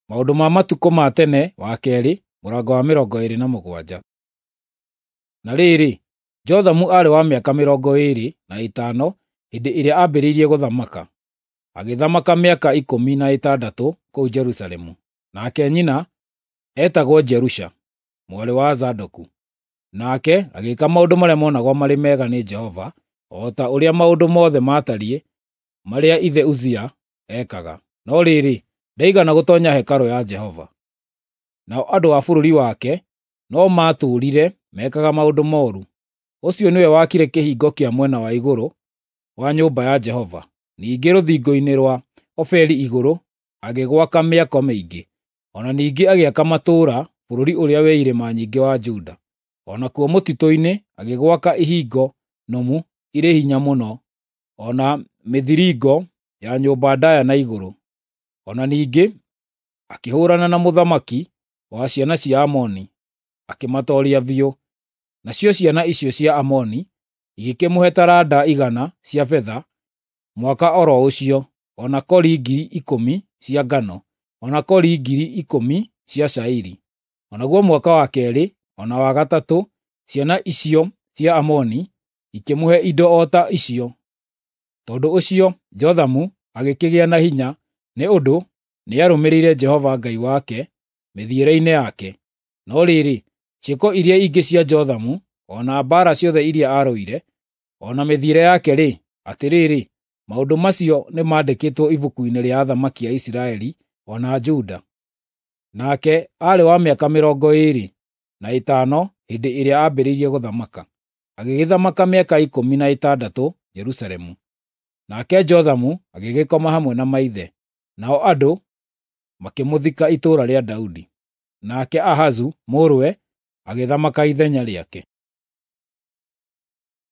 Maũndũ ma matukũ ma tene wa kerĩ, mũrango wa 27. Na rĩrĩ, Jothamu aarĩ wa mĩaka 25 hĩndĩ ĩrĩa aambĩrĩirie gũthamaka, agĩthamaka mĩaka 16 kũu Jerusalemu. Nake nyina eetagwo Jerusha, mwarĩ wa Zadoku. Nake agĩĩka maũndũ marĩa monagwo marĩ mega nĩ Jehova, o ta ũrĩa maũndũ mothe maatariĩ marĩa ithe Uzia ekaga. No rĩrĩ, ndaigana gũtoonya hekarũ ya Jehova. Nao andũ a bũrũri wake no maatũũrire mekaga maũndũ mooru. Ũcio nĩwe waakire kĩhingo kĩa mwena wa igũrũ wa nyũmba ya Jehova. Ningĩ rũthingo-inĩ rwa Ofeli igũrũ agĩgwaka mĩako mĩingĩ. O na ningĩ agĩaka matũũra bũrũri ũrĩa wĩ irĩma nyingĩ wa Juda. O nakuo mũtitũ-inĩ agĩgwaka ihingo nũmu irĩ hinya mũno, o na mĩthiringo ya nyũmba ndaaya na igũrũ. O na ningĩ akĩhũũrana na mũthamaki wa ciana cia Amoni, akĩmatooria biũ. Nacio ciana icio cia Amoni igĩkĩmũhe taranda 100 cia betha mwaka o ro ũcio, o na kori 10,000 cia ngano, o na kori 10,000 cia cairi. O naguo mwaka wa keerĩ o na wa gatatũ ciana icio cia Amoni ikĩmũhe indo o ta icio. Tondũ ũcio Jothamu agĩkĩgĩa na hinya nĩ ũndũ nĩarũmĩrĩire Jehova Ngai wake mĩthiĩre-inĩ yake. No rĩrĩ, ciĩko iria ingĩ cia Jothamu, o na mbaara ciothe iria aarũire, o na mĩthiĩre yake-rĩ, atĩrĩrĩ, maũndũ macio nĩmandĩkĩtwo ibuku-inĩ rĩa athamaki a Isiraeli o na Juda. Nake aarĩ wa mĩaka 25 hĩndĩ ĩrĩa aambĩrĩirie gũthamaka, agĩgĩthamaka mĩaka 16 Jerusalemu. Nake Jothamu agĩgĩkoma hamwe na maithe, nao andũ makĩmũthika itũũra rĩa Daudi. Nake Ahazu mũrũwe agĩthamaka ithenya rĩake.